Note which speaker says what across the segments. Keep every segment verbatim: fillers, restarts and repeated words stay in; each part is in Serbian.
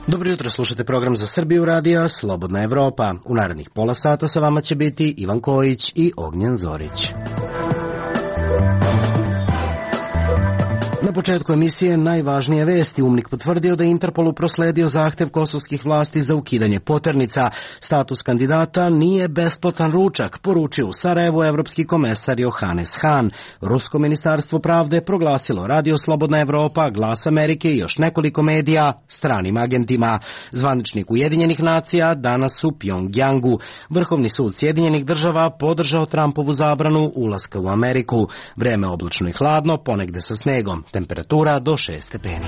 Speaker 1: Dobro jutro, slušate program za Srbiju radija Slobodna Evropa. U narednih pola sata sa vama će biti Ivan Kojić i Ognjen Zorić. Na početku emisije najvažnije vesti. UMNIK potvrdio da je Interpolu prosledio zahtev kosovskih vlasti za ukidanje poternica. Status kandidata nije besplatan ručak, poručio u Sarajevu evropski komesar Johannes Hahn. Rusko ministarstvo pravde proglasilo Radio Slobodna Evropa, Glas Amerike i još nekoliko medija stranim agentima. Zvaničnik Ujedinjenih nacija danas u Pjongjangu. Vrhovni sud Sjedinjenih država podržao Trumpovu zabranu ulaska u Ameriku. Vreme oblačno i hladno, ponegde sa snegom. Temperatura do šest stepeni.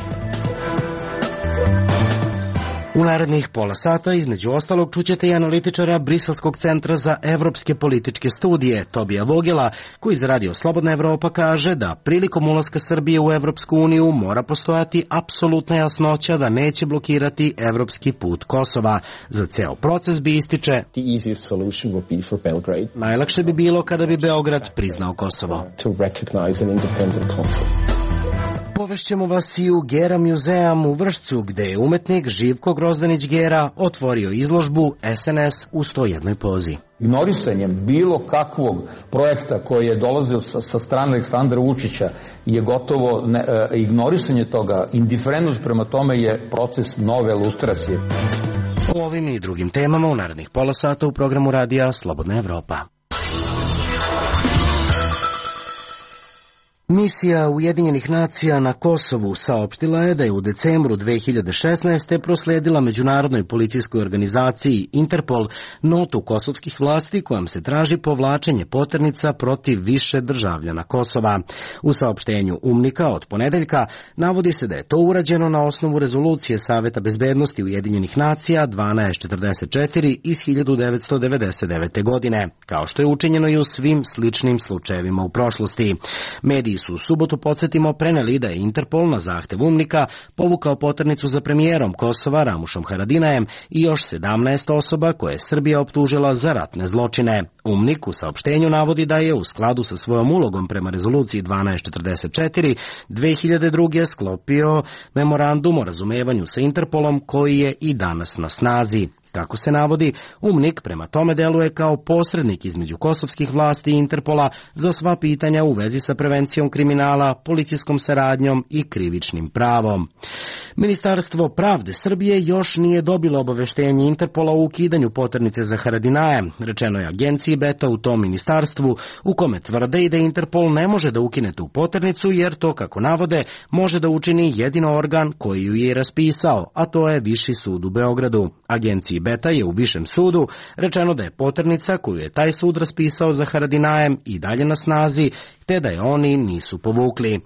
Speaker 1: U narednih pola sata, između ostalog, čućete i analitičara Briselskog centra za evropske političke studije, Tobija Vogela, koji za Radio Slobodna Evropa kaže da prilikom ulaska Srbije u Evropsku uniju mora postojati apsolutna jasnoća da neće blokirati evropski put Kosova. Za ceo proces bi ističe: najlakše bi bilo kada bi Beograd priznao Kosovo. Povešćemo vas i u Gera muzeum u Vršcu, gde je umetnik Živko Grozdanić Gera otvorio izložbu S N S u sto jednoj pozi.
Speaker 2: Ignorisanjem bilo kakvog projekta koji je dolazio sa, sa strane Aleksandra Vučića je gotovo ne, e, ignorisanje toga, indiferentnost prema tome je proces nove lustracije.
Speaker 1: O ovim i drugim temama u narednih pola sata u programu radija Slobodna Evropa. Misija Ujedinjenih nacija na Kosovu saopštila je da je u decembru dve hiljade šesnaeste prosledila međunarodnoj policijskoj organizaciji Interpol notu kosovskih vlasti kojom se traži povlačenje poternica protiv više državljana Kosova. U saopštenju UMNIK-a od ponedeljka navodi se da je to urađeno na osnovu rezolucije Saveta bezbednosti Ujedinjenih nacija dvanaest četrdeset četiri iz hiljadu devetsto devedeset devete. godine, kao što je učinjeno i u svim sličnim slučajevima u prošlosti. Mediji su u subotu, podsjetimo, preneli da je Interpol na zahtev UMNIK-a povukao poternicu za premijerom Kosova Ramušom Haradinajem i još sedamnaest osoba koje je Srbija optužila za ratne zločine. UMNIK u saopštenju navodi da je u skladu sa svojom ulogom prema rezoluciji dvanaest četrdeset četiri dve hiljade druge. sklopio memorandum o razumevanju sa Interpolom koji je i danas na snazi. Kako se navodi, UMNIK prema tome deluje kao posrednik između kosovskih vlasti i Interpola za sva pitanja u vezi sa prevencijom kriminala, policijskom saradnjom i krivičnim pravom. Ministarstvo pravde Srbije još nije dobilo obaveštenje Interpola o ukidanju poternice za Haradinaja, rečeno je agenciji Beta u tom ministarstvu, u kome tvrde i da Interpol ne može da ukine tu poternicu jer to, kako navode, može da učini jedino organ koji ju je raspisao, a to je Viši sud u Beogradu. Agenciji Beta je u Višem sudu rečeno da je poternica koju je taj sud raspisao za Haradinajem i dalje na snazi, te da je oni nisu povukli.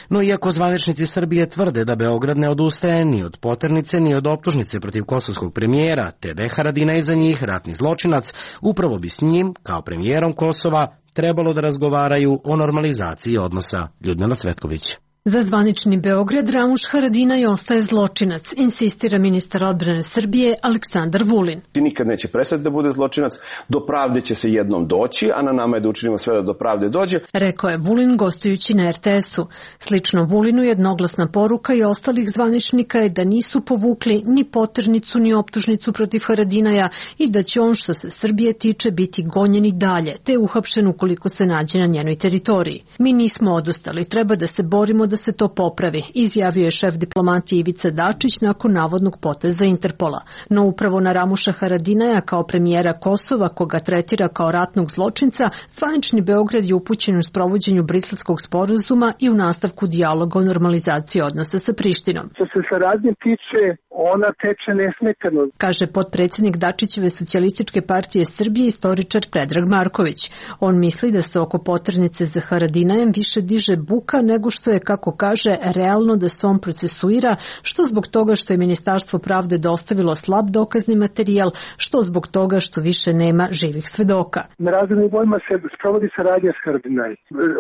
Speaker 1: No iako zvaničnici Srbije tvrde da Beograd ne odustaje ni od poternice ni od optužnice protiv kosovskog premijera, te da je Haradinaj za njih ratni zločinac, upravo bi s njim, kao premijerom Kosova, trebalo da razgovaraju o normalizaciji odnosa. Ljudmila Cvetković.
Speaker 3: Za zvanični Beograd Ramuš Haradinaj ostaje zločinac, insistira ministar odbrane Srbije Aleksandar Vulin.
Speaker 4: Nikad neće prestati da bude zločinac, do pravde će se jednom doći, a na nama je da učinimo sve da do pravde dođe.
Speaker 3: Rekao je Vulin gostujući na R T S-u. Slično Vulinu jednoglasna poruka i ostalih zvaničnika je da nisu povukli ni poternicu ni optužnicu protiv Haradinaja i da će on što se Srbije tiče biti gonjen i dalje, te uhapšen ukoliko se nađe na njenoj teritoriji. Mi nismo odustali, treba da se borimo da se to popravi, izjavio je šef diplomatije Ivica Dačić nakon navodnog poteza Interpola. No upravo na Ramuša Haradinaja kao premijera Kosova, koga tretira kao ratnog zločinca, zvanični Beograd je upućen u sprovođenju Briselskog sporazuma i u nastavku dijaloga o normalizaciji odnosa sa Prištinom.
Speaker 5: Što se saradnje tiče, ona teče nesmetano,
Speaker 3: kaže potpredsjednik Dačićeve Socijalističke partije Srbije istoričar Predrag Marković. On misli da se oko poternice za Haradinajem više diže buka nego što je, kako kako kaže, realno da se on procesuira, što zbog toga što je Ministarstvo pravde dostavilo slab dokazni materijal, što zbog toga što više nema živih svedoka.
Speaker 5: Na raznim nivoima se sprovodi saradnja s Haradinaj.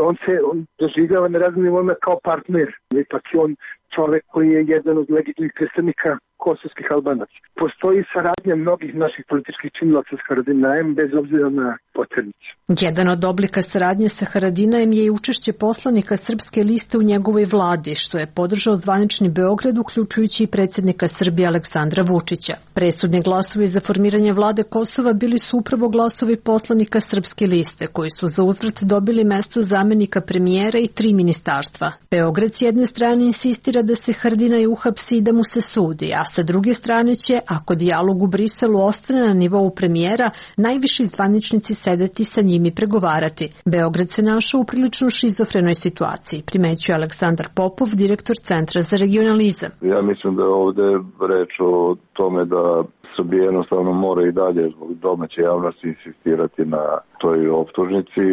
Speaker 5: On se on doživljava na raznim nivoima kao partner. Ipak je on čovek koji je jedan od legitimnih predstavnika kosovskih Albanaca. Postoji saradnja mnogih naših političkih činilaca s Haradinajem bez obzira na poternicu.
Speaker 3: Jedan od oblika saradnje sa Haradinajem je i učešće poslanika Srpske liste u njegovoj vladi, što je podržao zvanični Beograd, uključujući i predsjednika Srbije Aleksandra Vučića. Presudni glasovi za formiranje vlade Kosova bili su upravo glasovi poslanika Srpske liste, koji su za uzvrat dobili mesto zamenika premijera i tri ministarstva. Beograd s jedne strane insistira da se Haradinaj uhapsi i da mu se sudi, a sa druge strane će, ako dijalog u Briselu ostane na nivou premijera, najviši zvaničnici sedeti sa njim i pregovarati. Beograd se našao u prilično šizofrenoj situaciji, primećuje Aleksandar Popov, direktor Centra za regionalizam.
Speaker 6: Ja mislim da je ovde reč o tome da Srbija jednostavno mora i dalje zbog domaće javnosti insistirati na toj optužnici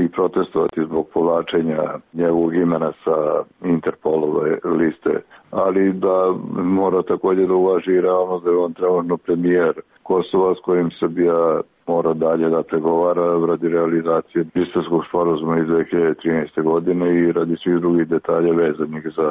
Speaker 6: i protestovati zbog povlačenja njegovog imena sa Interpolove liste, ali da mora također da uvaži i realnost da je on trenutno premijer Kosova s kojim Srbija mora dalje da pregovara radi realizacije Briselskog sporazuma iz dve hiljade trinaeste. godine i radi svih drugih detalja vezanih za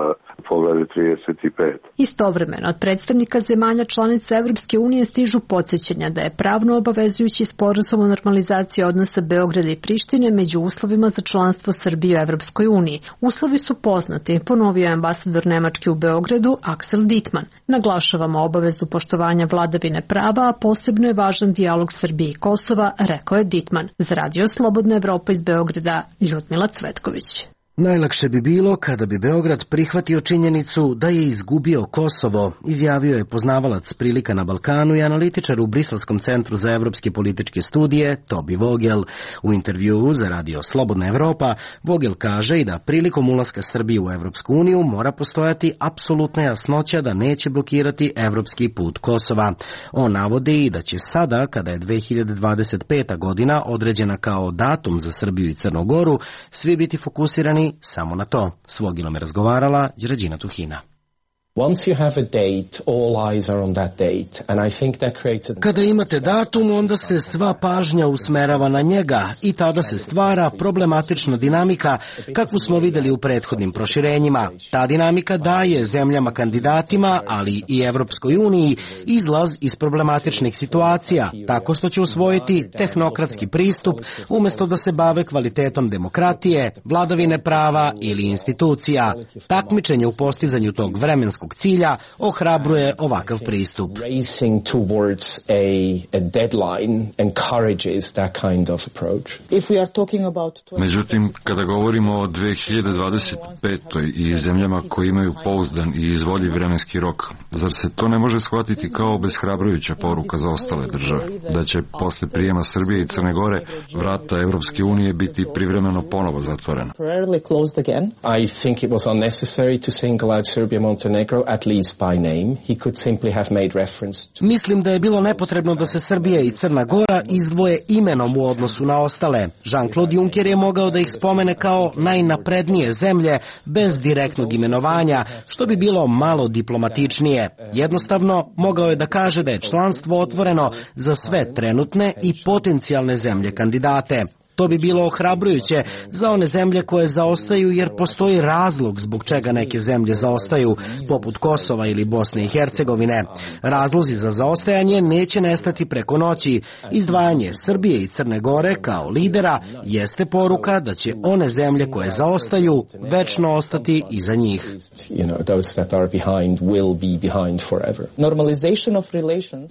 Speaker 6: poglavlje trideset pet.
Speaker 3: Istovremeno, od predstavnika zemalja članica Evropske unije stižu podsjećanja da je pravno obavezujući sporazum o normalizaciji odnosa Beograda i Prištine među uslovima za članstvo Srbije u Evropskoj uniji. Uslovi su poznati, ponovio je ambasador Nemačke u Beogradu Axel Dittmann. Naglašavamo obavezu poštovanja vladavine prava, a posebno je važan dijalog Srbije i Kosova, rekao je Dittmann. Za Radio Slobodna Evropa iz Beograda, Ljudmila Cvetković.
Speaker 1: Najlakše bi bilo kada bi Beograd prihvatio činjenicu da je izgubio Kosovo, izjavio je poznavalac prilika na Balkanu i analitičar u Briselskom centru za evropske političke studije Tobi Vogel. U intervjuu za Radio Slobodna Evropa Vogel kaže i da prilikom ulaska Srbije u Evropsku uniju mora postojati apsolutna jasnoća da neće blokirati evropski put Kosova. On navodi i da će sada, kada je dve hiljade dvadeset peta. godina određena kao datum za Srbiju i Crnu Goru, svi biti fokusirani samo na to. S Vogilom je razgovarala Đerađina Tuhina. Kada imate datum, onda se sva pažnja usmerava na njega i tada se stvara problematična dinamika kakvu smo videli u prethodnim proširenjima. Ta dinamika daje zemljama kandidatima, ali i Evropskoj uniji, izlaz iz problematičnih situacija, tako što će usvojiti tehnokratski pristup umjesto da se bave kvalitetom demokratije, vladavine prava ili institucija. Takmičenje u postizanju tog vremenskog cilja ohrabruje ovakav pristup.
Speaker 7: Međutim, kada govorimo o dve hiljade dvadeset petoj. i zemljama koji imaju pouzdan i izvoljiv vremenski rok, zar se to ne može shvatiti kao obeshrabrujuća poruka za ostale države, da će posle prijema Srbije i Crne Gore vrata Evropske unije biti privremeno ponovo zatvorena?
Speaker 8: I think it was unnecessary to single out Serbia Montenegro at least by name. He could simply have made reference to...
Speaker 1: Mislim da je bilo nepotrebno da se Srbija i Crna Gora izdvoje imenom u odnosu na ostale. Jean-Claude Juncker je mogao da ih spomene kao najnaprednije zemlje bez direktnog imenovanja, što bi bilo malo diplomatičnije. Jednostavno, mogao je da kaže da je članstvo otvoreno za sve trenutne i potencijalne zemlje kandidate. To bi bilo ohrabrujuće za one zemlje koje zaostaju, jer postoji razlog zbog čega neke zemlje zaostaju, poput Kosova ili Bosne i Hercegovine. Razlozi za zaostajanje neće nestati preko noći. Izdvajanje Srbije i Crne Gore kao lidera jeste poruka da će one zemlje koje zaostaju večno ostati iza njih.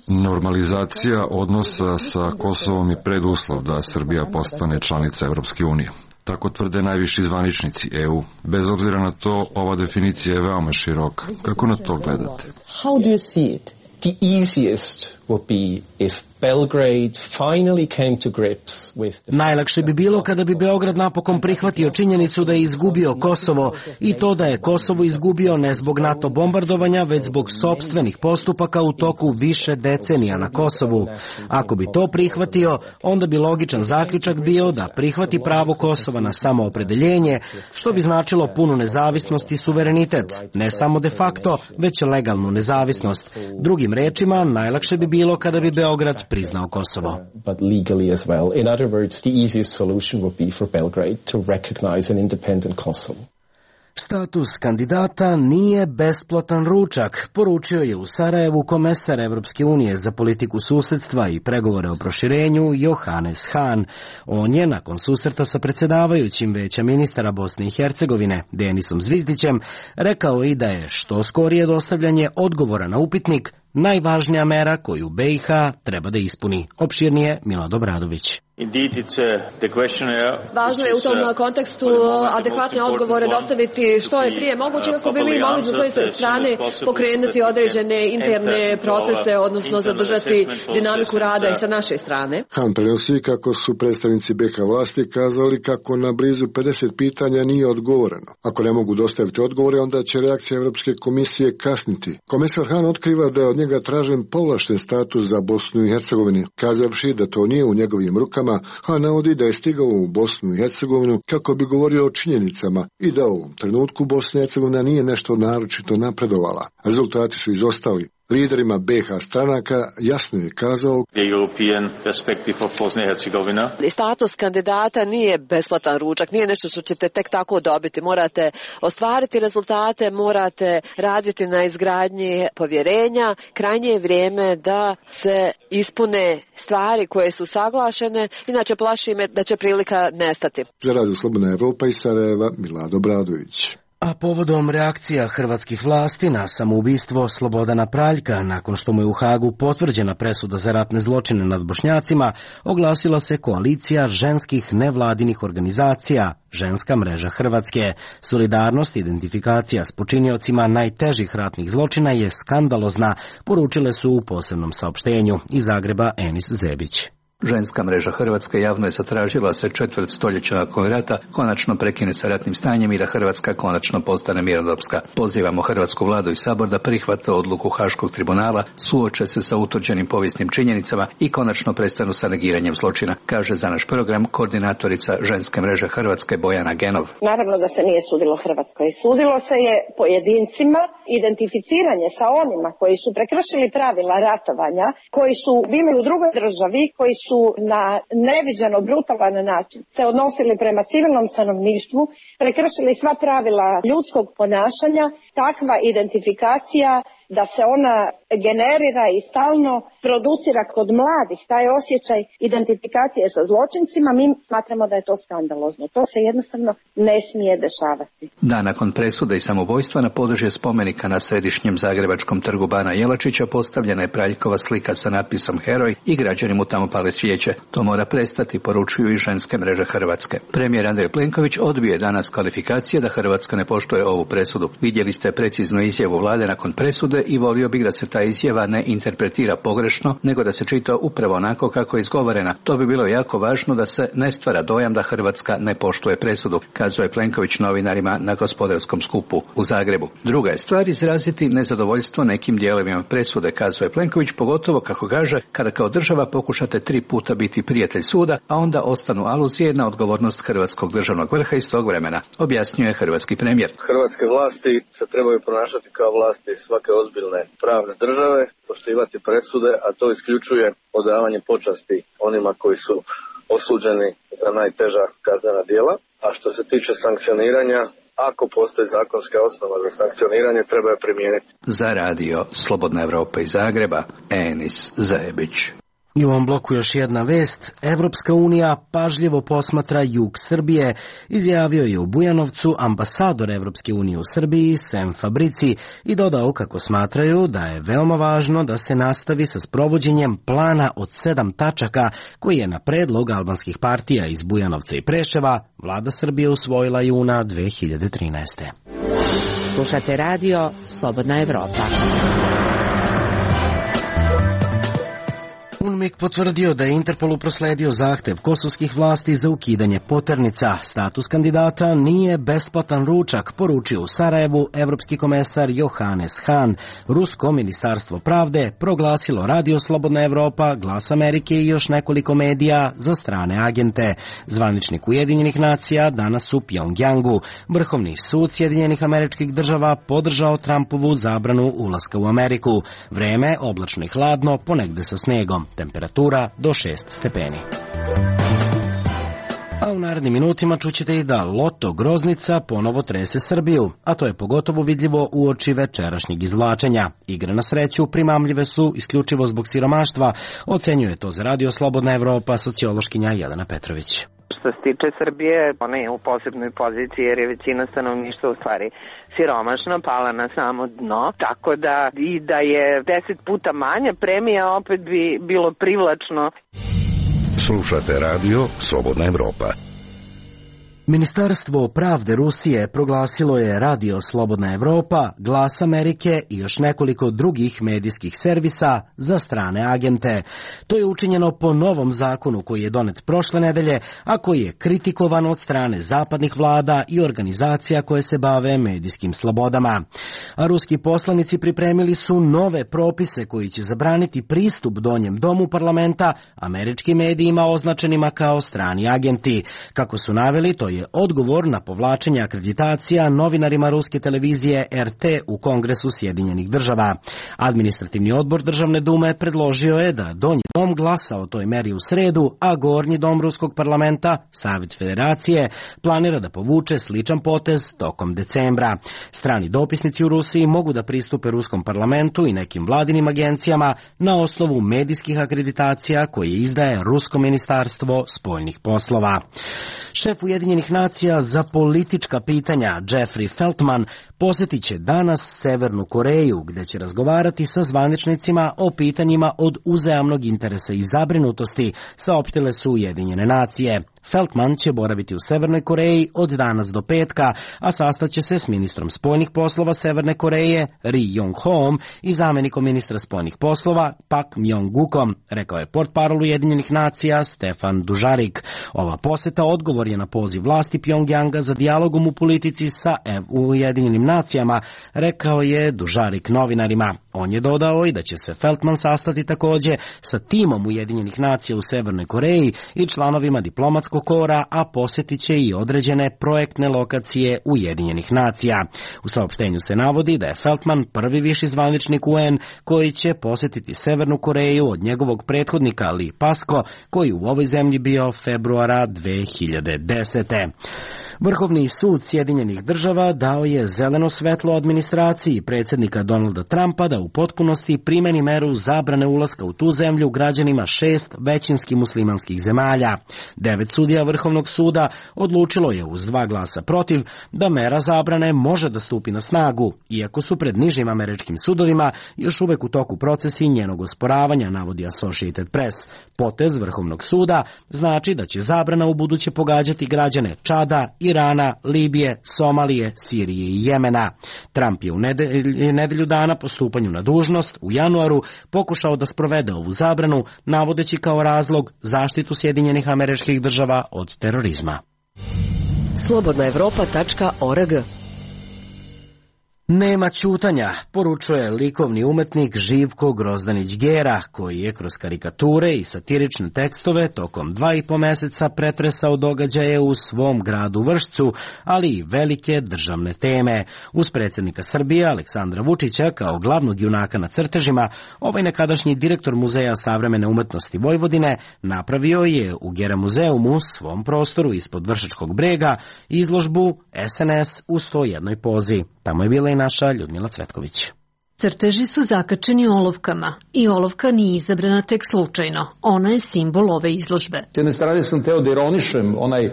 Speaker 7: Normalizacija odnosa sa Kosovom je preduslov da Srbija postane članica Evropske unije. Tako tvrde najviši zvaničnici E U. Bez obzira na to, ova definicija je veoma široka. Kako na to gledate?
Speaker 8: How do you see it? The easiest would be if Belgrade finally came to grips with the...
Speaker 1: Najlakše bi bilo kada bi Beograd napokon prihvatio činjenicu da je izgubio Kosovo i to da je Kosovo izgubio ne zbog NATO bombardovanja, već zbog sopstvenih postupaka u toku više decenija na Kosovu. Ako bi to prihvatio, onda bi logičan zaključak bio da prihvati pravo Kosova na samoopredeljenje, što bi značilo punu nezavisnost i suverenitet, ne samo de facto, već legalnu nezavisnost. Drugim rečima, najlakše bi bilo kada bi Beograd priznao Kosovo.
Speaker 8: But legally as well. In other words, the easiest solution would be for Belgrade to recognize an independent Kosovo.
Speaker 1: Status kandidata nije besplatan ručak, poručio je u Sarajevu komesar Evropske unije za politiku susedstva i pregovore o proširenju Johannes Hahn. On je, nakon susreta sa predsjedavajućim Veća ministara Bosne i Hercegovine, Denisom Zvizdićem, rekao i da je što skorije dostavljanje odgovora na upitnik najvažnija mera koju B i H treba da ispuni. Opširnije Milad Obradović.
Speaker 9: Važno je u tom kontekstu adekvatne odgovore dostaviti što je prije moguće, kako bi mi mogli sa svoje strane pokrenuti određene interne procese, odnosno zadržati dinamiku rada i sa naše strane.
Speaker 10: Han prenosi kako su predstavnici B H vlasti kazali kako na blizu pedeset pitanja nije odgovoreno. Ako ne mogu dostaviti odgovore, onda će reakcija Evropske komisije kasniti. Komesar Han otkriva da je od njega tražen povlašten status za Bosnu i Hercegovinu, kazavši da to nije u njegovim rukama. Han navodi da je stigao u Bosnu i Hercegovinu kako bi govorio o činjenicama i da u ovom trenutku Bosna i Hercegovina nije nešto naročito napredovala. Rezultati su izostali. Liderima B H stranaka jasno je kazao
Speaker 9: status kandidata nije besplatan ručak, nije nešto što ćete tek tako dobiti. Morate ostvariti rezultate, morate raditi na izgradnji povjerenja. Krajnje je vrijeme da se ispune stvari koje su saglašene, inače plaši me da će prilika nestati.
Speaker 10: Za Radio Slobodna Evropa iz Sarajeva, Milad Obradović.
Speaker 1: A povodom reakcija hrvatskih vlasti na samoubistvo Slobodana Praljka, nakon što mu je u Hagu potvrđena presuda za ratne zločine nad Bošnjacima, oglasila se koalicija ženskih nevladinih organizacija, Ženska mreža Hrvatske. Solidarnost i identifikacija s počiniocima najtežih ratnih zločina je skandalozna, poručile su u posebnom saopštenju. Iz Zagreba Enis Zebić.
Speaker 11: Ženska mreža Hrvatske javno je zatražila se četvrt stoljeća nakon rata konačno prekine sa ratnim stanjem i da Hrvatska konačno postane mirnodopska. Pozivamo hrvatsku vladu i sabor da prihvate odluku Haškog tribunala, suoče se sa utvrđenim povijesnim činjenicama i konačno prestanu sa negiranjem zločina, kaže za naš program koordinatorica Ženske mreže Hrvatske Bojana Genov.
Speaker 12: Naravno da se nije sudilo Hrvatskoj. Sudilo se je pojedincima, identificiranje sa onima koji su prekršili pravila ratovanja, koji su bili u drugoj državi, koji su na neviđeno brutalan način se odnosili prema civilnom stanovništvu, prekršili sva pravila ljudskog ponašanja. Takva identifikacija da se ona generira i stalno producira kod mladih, taj osjećaj identifikacije sa zločincima, mi smatramo da je to skandalozno. To se jednostavno ne smije dešavati.
Speaker 11: Da, nakon presude i samoubojstva na područje spomenika na središnjem zagrebačkom trgu Bana Jelačića postavljena je Praljkova slika sa natpisom Heroj i građani mu tamo pale svijeće. To mora prestati, poručuju i Ženske mreže Hrvatske. Premijer Andrej Plenković odbio je danas kvalifikacije da Hrvatska ne poštuje ovu presudu. Vidjeli ste preciznu izjavu vlade nakon presude i volio bih da se ta izjava ne interpretira pogrešno, nego da se čita upravo onako kako je izgovorena. To bi bilo jako važno da se ne stvara dojam da Hrvatska ne poštuje presudu, kazuje Plenković novinarima na gospodarskom skupu u Zagrebu. Druga je stvar izraziti nezadovoljstvo nekim dijelovima presude, kazuje Plenković, pogotovo kako kaže kada kao država pokušate tri puta biti prijatelj suda, a onda ostanu aluzije na odgovornost hrvatskog državnog vrha iz tog vremena, objasnjuje hrvatski premijer.
Speaker 13: Hrvatske vlasti se trebaju ponašati kao vlasti svake ozbiljne pravne države, poštivati presude, a to isključuje odavanje počasti onima koji su osuđeni za najteža kaznena djela. A što se tiče sankcioniranja, ako postoji zakonska osnova za sankcioniranje, treba je primijeniti.
Speaker 11: Za radio Slobodna Evropa iz Zagreba, Enis Zebić.
Speaker 1: I u ovom bloku još jedna vest. Evropska unija pažljivo posmatra jug Srbije, izjavio je u Bujanovcu ambasador Evropske unije u Srbiji Sem Fabrici i dodao kako smatraju da je veoma važno da se nastavi sa sprovođenjem plana od sedam tačaka koji je na predlog albanskih partija iz Bujanovca i Preševa vlada Srbije usvojila juna dve hiljade trinaeste.
Speaker 14: Slušate radio Slobodna Evropa.
Speaker 1: Dnevnik potvrdio da je Interpolu prosledio zahtev kosovskih vlasti za ukidanje poternica. Status kandidata nije besplatan ručak, poručio u Sarajevu evropski komesar Johannes Hahn. Rusko ministarstvo pravde proglasilo Radio Slobodna Evropa, Glas Amerike i još nekoliko medija za strane agente. Zvaničnik Ujedinjenih nacija danas u Pjongjangu. Vrhovni sud Sjedinjenih Američkih Država podržao Trumpovu zabranu ulaska u Ameriku. Vreme oblačno i hladno, ponegde sa snegom. Temperatura do šest stepeni. A u narednim minutima čućete i da Loto Groznica ponovo trese Srbiju, a to je pogotovo vidljivo uoči večerašnjeg izvlačenja. Igre na sreću primamljive su isključivo zbog siromaštva, ocenjuje to za Radio Slobodna Evropa sociološkinja Jelena Petrović.
Speaker 15: Što se tiče Srbije, ona je u posebnoj poziciji jer je većina stanovništva u stvari siromašna, pala na samo dno, tako da i da je deset puta manja premija opet bi bilo privlačno.
Speaker 16: Slušate Radio Slobodna Evropa.
Speaker 1: Ministarstvo pravde Rusije proglasilo je Radio Slobodna Evropa, Glas Amerike i još nekoliko drugih medijskih servisa za strane agente. To je učinjeno po novom zakonu koji je donet prošle nedelje, a koji je kritikovan od strane zapadnih vlada i organizacija koje se bave medijskim slobodama. A ruski poslanici pripremili su nove propise koji će zabraniti pristup donjem domu parlamenta američkim medijima označenima kao strani agenti. Kako su naveli, to je je odgovor na povlačenje akreditacija novinarima ruske televizije R T u Kongresu Sjedinjenih država. Administrativni odbor Državne dume predložio je da donji dom glasa o toj meri u sredu, a gornji dom ruskog parlamenta, Savjet Federacije, planira da povuče sličan potez tokom decembra. Strani dopisnici u Rusiji mogu da pristupe ruskom parlamentu i nekim vladinim agencijama na osnovu medijskih akreditacija koje izdaje Rusko ministarstvo spoljnih poslova. Šef Ujedinjenih nacija za politička pitanja Jeffrey Feltman posjetit će danas Severnu Koreju, gde će razgovarati sa zvaničnicima o pitanjima od uzajamnog interesa i zabrinutosti, saopštile su Ujedinjene nacije. Feltman će boraviti u Severnoj Koreji od danas do petka, a sastaće se s ministrom spoljnih poslova Severne Koreje Ri Yong-hoom i zamenikom ministra spoljnih poslova Pak Myong-gukom, rekao je portparol Ujedinjenih nacija Stefan Dužarik. Ova poseta odgovor je na poziv vlasti Pjongjanga za dijalogom u politici sa Ujedinjenim nacijama, rekao je Dužarik novinarima. On je dodao i da će se Feltman sastati takođe sa timom Ujedinjenih nacija u Severnoj Koreji i članovima diplomatskog kora, a posjetit će i određene projektne lokacije Ujedinjenih nacija. U saopštenju se navodi da je Feltman prvi viši zvaničnik U N koji će posjetiti Severnu Koreju od njegovog prethodnika Lee Pasko, koji u ovoj zemlji bio februara dve hiljade desete. Vrhovni sud Sjedinjenih država dao je zeleno svetlo administraciji predsjednika Donalda Trumpa da u potpunosti primeni meru zabrane ulaska u tu zemlju građanima šest većinski muslimanskih zemalja. Devet sudija Vrhovnog suda odlučilo je uz dva glasa protiv da mera zabrane može da stupi na snagu, iako su pred nižim američkim sudovima još uvek u toku procesi njenog osporavanja, navodi Associated Press. Potez Vrhovnog suda znači da će zabrana u buduće pogađati građane Čada, Irana, Libije, Somalije, Sirije i Jemena. Trump je u nedelju, nedelju dana po stupanju na dužnost u januaru pokušao da sprovede ovu zabranu, navodeći kao razlog zaštitu Sjedinjenih Američkih Država od terorizma.
Speaker 9: slobodna evropa tačka org.
Speaker 1: Nema ćutanja, poručuje likovni umetnik Živko Grozdanić-Gera, koji je kroz karikature i satirične tekstove tokom dva i po meseca pretresao događaje u svom gradu Vršcu, ali i velike državne teme. Uz predsjednika Srbije Aleksandra Vučića kao glavnog junaka na crtežima, ovaj nekadašnji direktor Muzeja savremene umetnosti Vojvodine napravio je u Gera muzeumu, svom prostoru ispod Vršačkog brega, izložbu S N S u sto jednoj pozi. Tamo je bila i naša Ljudmila Cvetković.
Speaker 3: Crteži su zakačeni olovkama i olovka nije izabrana tek slučajno. Ona je simbol ove izložbe.
Speaker 2: S jedne strane sam teo da ironišem onaj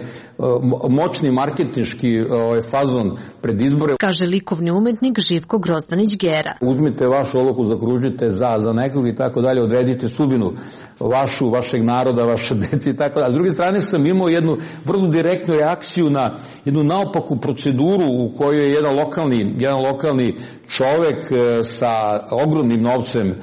Speaker 2: moćni marketinški fazon pred izbore.
Speaker 3: Kaže likovni umetnik Živko Grozdanić-Gera.
Speaker 2: Uzmite vašu olovku, zakružite za, za nekog i tako dalje, odredite sudbinu vašu, vašeg naroda, vaše dece i tako dalje. A s druge strane sam imao jednu vrlo direktnu reakciju na jednu naopaku proceduru u kojoj je jedan lokalni, jedan lokalni čovek sa ogromnim novcem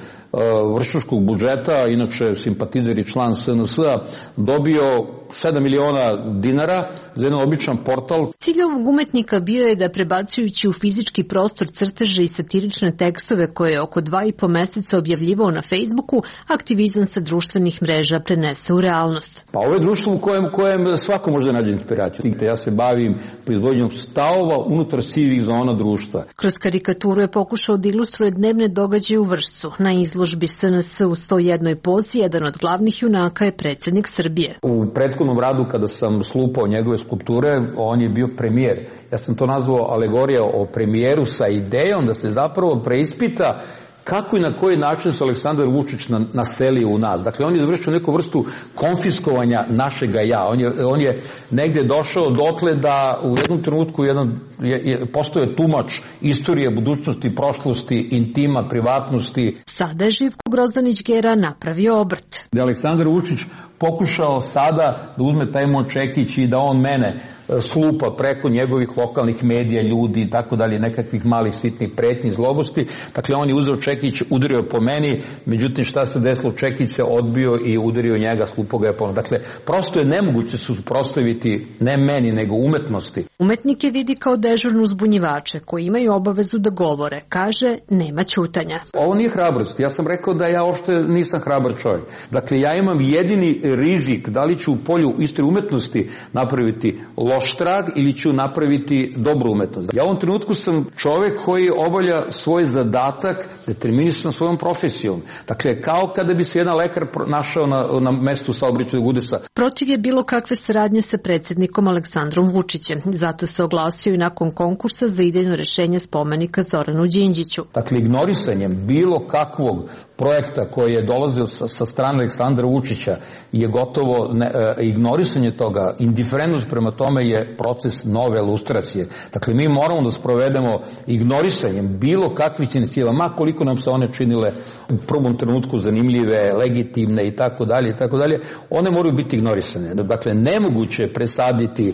Speaker 2: vrščanskog budžeta, inače simpatizer i član S N S-a, dobio sedam miliona dinara za jedan običan portal.
Speaker 3: Cilj ovog umetnika bio je da, prebacujući u fizički prostor crteže i satirične tekstove koje je oko dva i po meseca objavljivao na Facebooku, aktivizam sa društvenih mreža prenese u realnost.
Speaker 2: Pa ovo je društvo u kojem, kojem svako može nađe inspiraciju. Ja se bavim proizvodnjom stavova unutar sivih zona društva.
Speaker 3: Kroz karikaturu je pokušao da ilustruje dnevne događaje u Vršcu. Na izložbi S N S u sto jednoj pozi jedan od glavnih junaka je predsjednik Srbije.
Speaker 2: U prethodnom radu kada sam slupao njegove skulpture, on je bio premijer. Ja sam to nazvao alegorija o premijeru sa idejom da se zapravo preispita kako i na koji način se Aleksandar Vučić naselio u nas. Dakle, on je izvršio neku vrstu konfiskovanja našega ja. On je, on je negde došao dotle da u jednom trenutku jedan, je, je, postoje tumač istorije, budućnosti, prošlosti, intima, privatnosti.
Speaker 3: Sada je Živko Grozdanić Gera napravio obrt.
Speaker 2: Da je Aleksandar Vučić pokušao sada da uzme taj Močekić i da on mene slupa preko njegovih lokalnih medija, ljudi i tako dalje, nekakvih malih sitnih pretnji, zlobosti. Dakle, on je uzeo Čekić, udario po meni, međutim šta se desilo, Čekić se odbio i udario njega, slupo ga je po meni. Dakle, prosto je nemoguće se suprotstaviti ne meni, nego umetnosti.
Speaker 3: Umetnike vidi kao dežurnu uzbunjivače koji imaju obavezu da govore. Kaže, nema ćutanja.
Speaker 2: Ovo nije hrabrost. Ja sam rekao da ja uopšte nisam hrabar čovjek. Dakle, ja imam jedini rizik da li ću u polju istorije umetnosti napraviti loš trag ili ću napraviti dobru umetnost. Ja u ovom trenutku sam čovjek koji obavlja svoj zadatak determinisan svojom profesijom. Dakle, kao kada bi se jedan lekar našao na, na mestu saobraćajnog udesa.
Speaker 3: Protiv je bilo kakve saradnje sa predsjednikom Aleksandrom Vučićem. Zato se oglasio i nakon konkursa za idejno rešenje spomenika Zoranu Đinđiću.
Speaker 2: Dakle, ignorisanjem bilo kakvog projekta koji je dolazio sa, sa strane Aleksandra Vučića je gotovo ne, e, ignorisanje toga, indiferentnost prema tome je proces nove lustracije. Dakle, mi moramo da sprovedemo ignorisanjem bilo kakvih inicijativa, ma koliko nam se one činile u prvom trenutku zanimljive, legitimne i tako dalje i tako dalje, one moraju biti ignorisane. Dakle, nemoguće je presaditi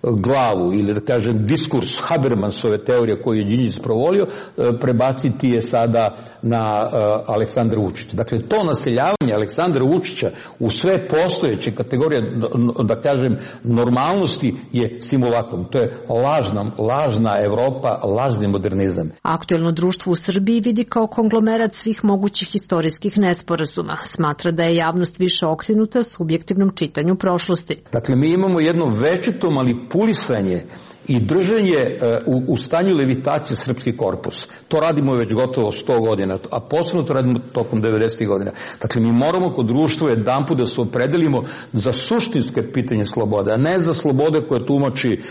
Speaker 2: glavu ili da kažem diskurs Habermasove teorije koju je Đinđić sprovolio, prebaciti je sada na uh, Aleksandra Vučića. Dakle, to naseljavanje Aleksandra Vučića u sve postojeće kategorije, da kažem, normalnosti je simulakrum. To je lažna, lažna Evropa, lažni modernizam.
Speaker 3: Aktuelno društvo u Srbiji vidi kao konglomerat svih mogućih istorijskih nesporazuma. Smatra da je javnost više okrenuta subjektivnom čitanju prošlosti.
Speaker 2: Dakle, mi imamo jedno večito manipulisanje i držanje u, u stanju levitacije srpski korpus. To radimo već gotovo sto godina, a posebno to radimo tokom devedesetih godina. Dakle, mi moramo kod društva jedanput da se opredelimo za suštinske pitanje slobode, a ne za slobode koje tumači,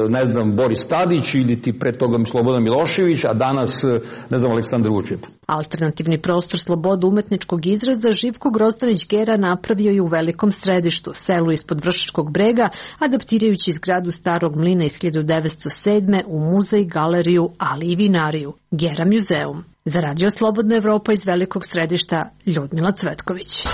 Speaker 2: ne znam, Boris Tadić ili ti pre toga Slobodan Milošević, a danas, ne znam, Aleksandar Vučić.
Speaker 3: Alternativni prostor slobode umetničkog izraza Živko Grozdanić Gera napravio je u Velikom Središtu, selu ispod Vršačkog brega, adaptirajući zgradu Starog mlina iz hiljadu devetsto sedme u muzej, galeriju, ali i vinariju. Gera muzeum. Za Radio Slobodna Evropa iz Velikog Središta, Ljudmila Cvetković.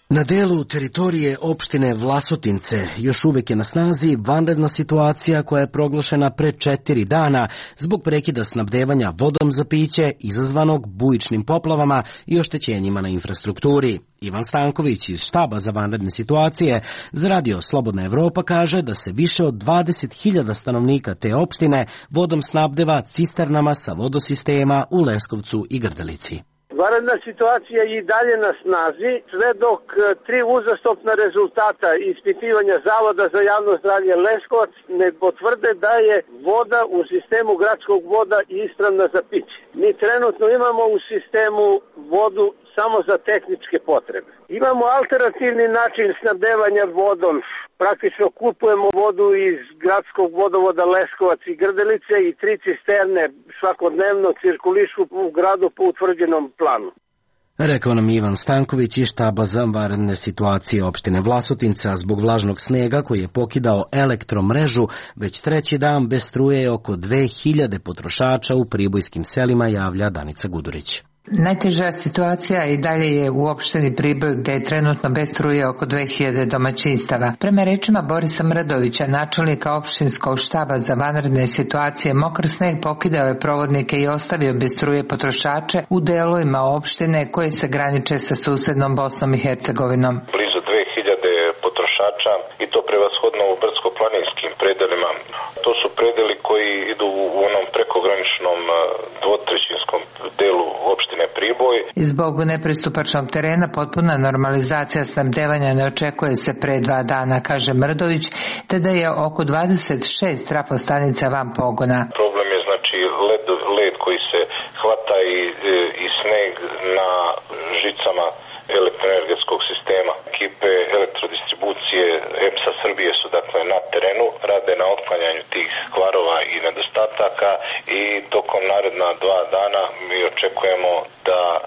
Speaker 1: Na delu teritorije opštine Vlasotince još uvek je na snazi vanredna situacija koja je proglašena pre četiri dana zbog prekida snabdevanja vodom za piće izazvanog bujičnim poplavama i oštećenjima na infrastrukturi. Ivan Stanković iz štaba za vanredne situacije za Radio Slobodna Evropa kaže da se više od dvadeset hiljada stanovnika te opštine vodom snabdeva cisternama sa vodosistema u Leskovcu i Grdelici.
Speaker 17: Vanredna situacija je i dalje na snazi, sve dok tri uzastopna rezultata ispitivanja Zavoda za javno zdravlje Leskovac ne potvrde da je voda u sistemu gradskog voda ispravna za piće. Mi trenutno imamo u sistemu vodu samo za tehničke potrebe. Imamo alternativni način snabdevanja vodom. Praktično kupujemo vodu iz gradskog vodovoda Leskovac i Grdelice i tri cisterne svakodnevno cirkulišu u gradu po utvrđenom planu.
Speaker 1: Rekao nam Ivan Stanković iz štaba za vanredne situacije opštine Vlasotinca. Zbog vlažnog snega koji je pokidao elektromrežu, već treći dan bez struje je oko dve hiljade potrošača u pribojskim selima, javlja Danica Gudurić.
Speaker 18: Najteža situacija i dalje je u opštini Priboj gde je trenutno bez struje oko dve hiljade domaćinstava. Prema rečima Borisa Mrdovića, načelnika opštinskog štaba za vanredne situacije, mokar sneg pokidao je provodnike i ostavio bez struje potrošače u delovima opštine koje se graniče sa susednom Bosnom i Hercegovinom.
Speaker 19: Blizu dve hiljade potrošača i to prevashodno u brdsko-planinskim predelima. To su predeli koji idu u onom prekograničnom dvotrećinskom delu opštine Priboj.
Speaker 18: Zbog nepristupačnog terena potpuna normalizacija snabdevanja ne očekuje se pre dva dana, kaže Mrdović, te da je oko dvadeset šest trafostanica van pogona.
Speaker 19: Problem je znači led, led koji se hvata i, i sneg na žicama elektroenergetskog sistema. Ekipe elektrodistribucije E P S-a Srbije su dakle na terenu, rade na otklanjanju tih kvarova i nedostataka i tokom naredna dva dana mi očekujemo da a,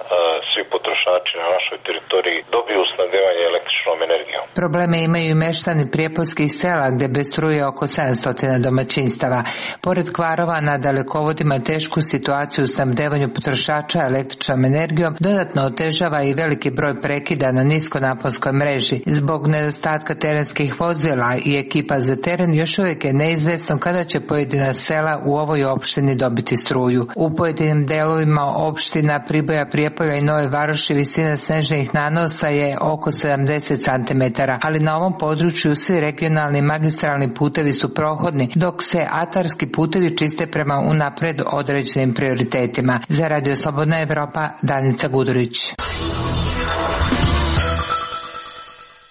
Speaker 19: svi potrošači na našoj teritoriji dobiju snabdevanje električnom energijom.
Speaker 18: Probleme imaju i meštani prijepoljskih sela gde bez struje oko sedamsto domaćinstava. Pored kvarova na dalekovodima tešku situaciju u snabdevanju potrošača električnom energijom dodatno otežava i veliki broj prekida na niskonaponskoj mreži. Zbog nedostatka terenskih vozila i ekipa za teren još uvijek je neizvesno kada će pojedina sela u ovoj opštini dobiti struju. U pojedinim delovima opština Priboja, Prijepolja i Nove Varoši visina snežnih nanosa je oko sedamdeset centimetara, ali na ovom području svi regionalni magistralni putevi su prohodni, dok se atarski putevi čiste prema unapred određenim prioritetima. Za Radio Slobodna Evropa, Danica Gudurić.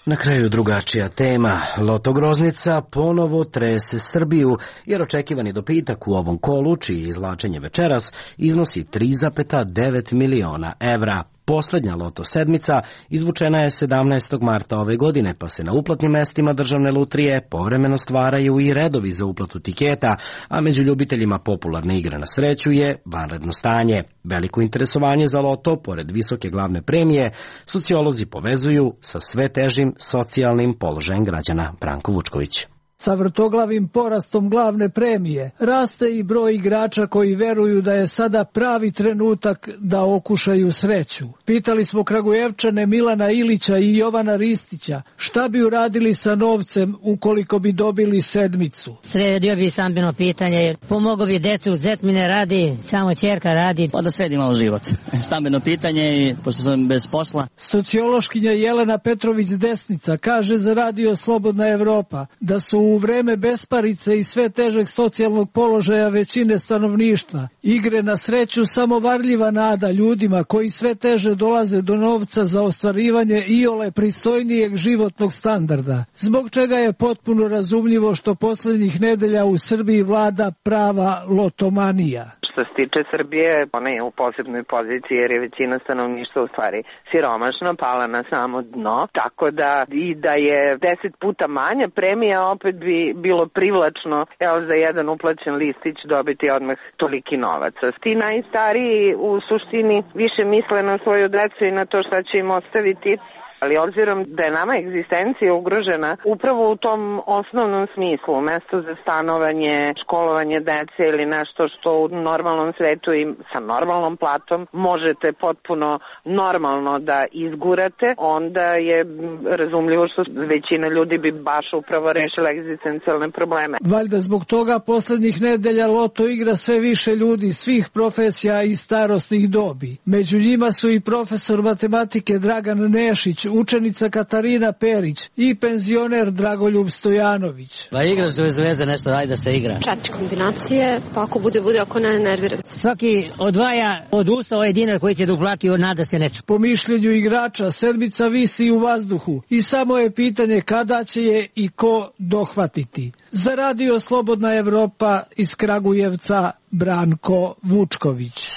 Speaker 1: Na kraju drugačija tema. Loto Groznica ponovo trese Srbiju, jer očekivani dobitak u ovom kolu, čiji izvlačenje večeras, iznosi tri zarez devet miliona evra. Poslednja loto sedmica izvučena je sedamnaestog marta ove godine, pa se na uplatnim mestima državne lutrije povremeno stvaraju i redovi za uplatu tiketa, a među ljubiteljima popularne igre na sreću je vanredno stanje. Veliko interesovanje za loto, pored visoke glavne premije, sociolozi povezuju sa sve težim socijalnim položajem građana. Branko Vučković.
Speaker 20: Sa vrtoglavim porastom glavne premije raste i broj igrača koji veruju da je sada pravi trenutak da okušaju sreću. Pitali smo Kragujevčane Milana Ilića i Jovana Ristića šta bi uradili sa novcem ukoliko bi dobili sedmicu.
Speaker 21: Sredio bi stambeno pitanje, jer pomogao bi decu, zet mi ne radi, samo ćerka radi.
Speaker 22: Pa da sredi malo život. Stambeno pitanje i pošto sam bez posla.
Speaker 20: Sociološkinja Jelena Petrović-Desnica kaže za Radio Slobodna Evropa da su u vreme besparice i sve težeg socijalnog položaja većine stanovništva igre na sreću samo varljiva nada ljudima koji sve teže dolaze do novca za ostvarivanje iole pristojnijeg životnog standarda, zbog čega je potpuno razumljivo što poslednjih nedelja u Srbiji vlada prava lotomanija.
Speaker 15: Što se tiče Srbije, ona je u posebnoj poziciji jer je većina stanovništva u stvari siromašna, pala na samo dno, tako da i da je deset puta manja premija opet bi bilo privlačno, evo za jedan uplaćen listić dobiti odmah toliki novac. Ti najstariji u suštini više misle na svoju decu i na to šta će im ostaviti, ali obzirom da je nama egzistencija ugrožena upravo u tom osnovnom smislu, mesto za stanovanje, školovanje dece ili nešto što u normalnom svetu i sa normalnom platom možete potpuno normalno da izgurate, onda je razumljivo što većina ljudi bi baš upravo rešila egzistencijalne probleme.
Speaker 20: Valjda zbog toga poslednjih nedelja loto igra sve više ljudi svih profesija i starosnih dobi. Među njima su i profesor matematike Dragan Nešić, učenica Katarina Perić i penzioner Dragoljub Stojanović.
Speaker 21: Pa igram se bez veze nešto, daj da se igra.
Speaker 23: Četiri kombinacije, pa ako bude, bude, ako ne, nerviram.
Speaker 21: Svaki odvaja od usta ovaj dinar koji će da uplati, nada se neče.
Speaker 20: Po mišljenju igrača, sedmica visi u vazduhu i samo je pitanje kada će je i ko dohvatiti. Za Radio Slobodna Evropa iz Kragujevca, Branko Vučković.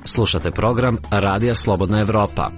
Speaker 24: Slušate program Radija Slobodna Evropa.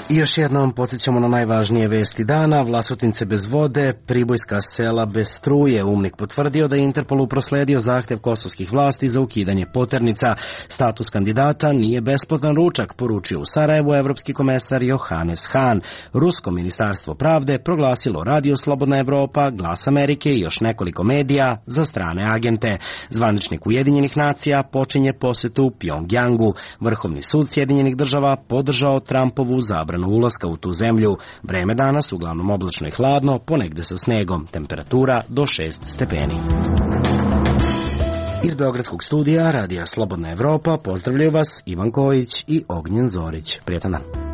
Speaker 1: I još jednom podsjećamo na najvažnije vesti dana. Vlasotince bez vode, pribojska sela bez struje. UMNIK potvrdio da je Interpolu prosledio zahtev kosovskih vlasti za ukidanje poternica. Status kandidata nije besplatan ručak, poručio u Sarajevu evropski komesar Johannes Hahn. Rusko ministarstvo pravde proglasilo Radio Slobodna Evropa, Glas Amerike i još nekoliko medija za strane agente. Zvaničnik Ujedinjenih nacija počinje posetu u Pjongjangu. Vrhovni sud Sjedinjenih država podržao Trumpovu zabranu ulaska u tu zemlju. Vreme danas uglavnom oblačno i hladno, ponegde sa snegom. Temperatura do šest stepeni. Iz Beogradskog studija Radija Slobodna Evropa pozdravljaju vas Ivan Kojić i Ognjen Zorić. Prijetan dan.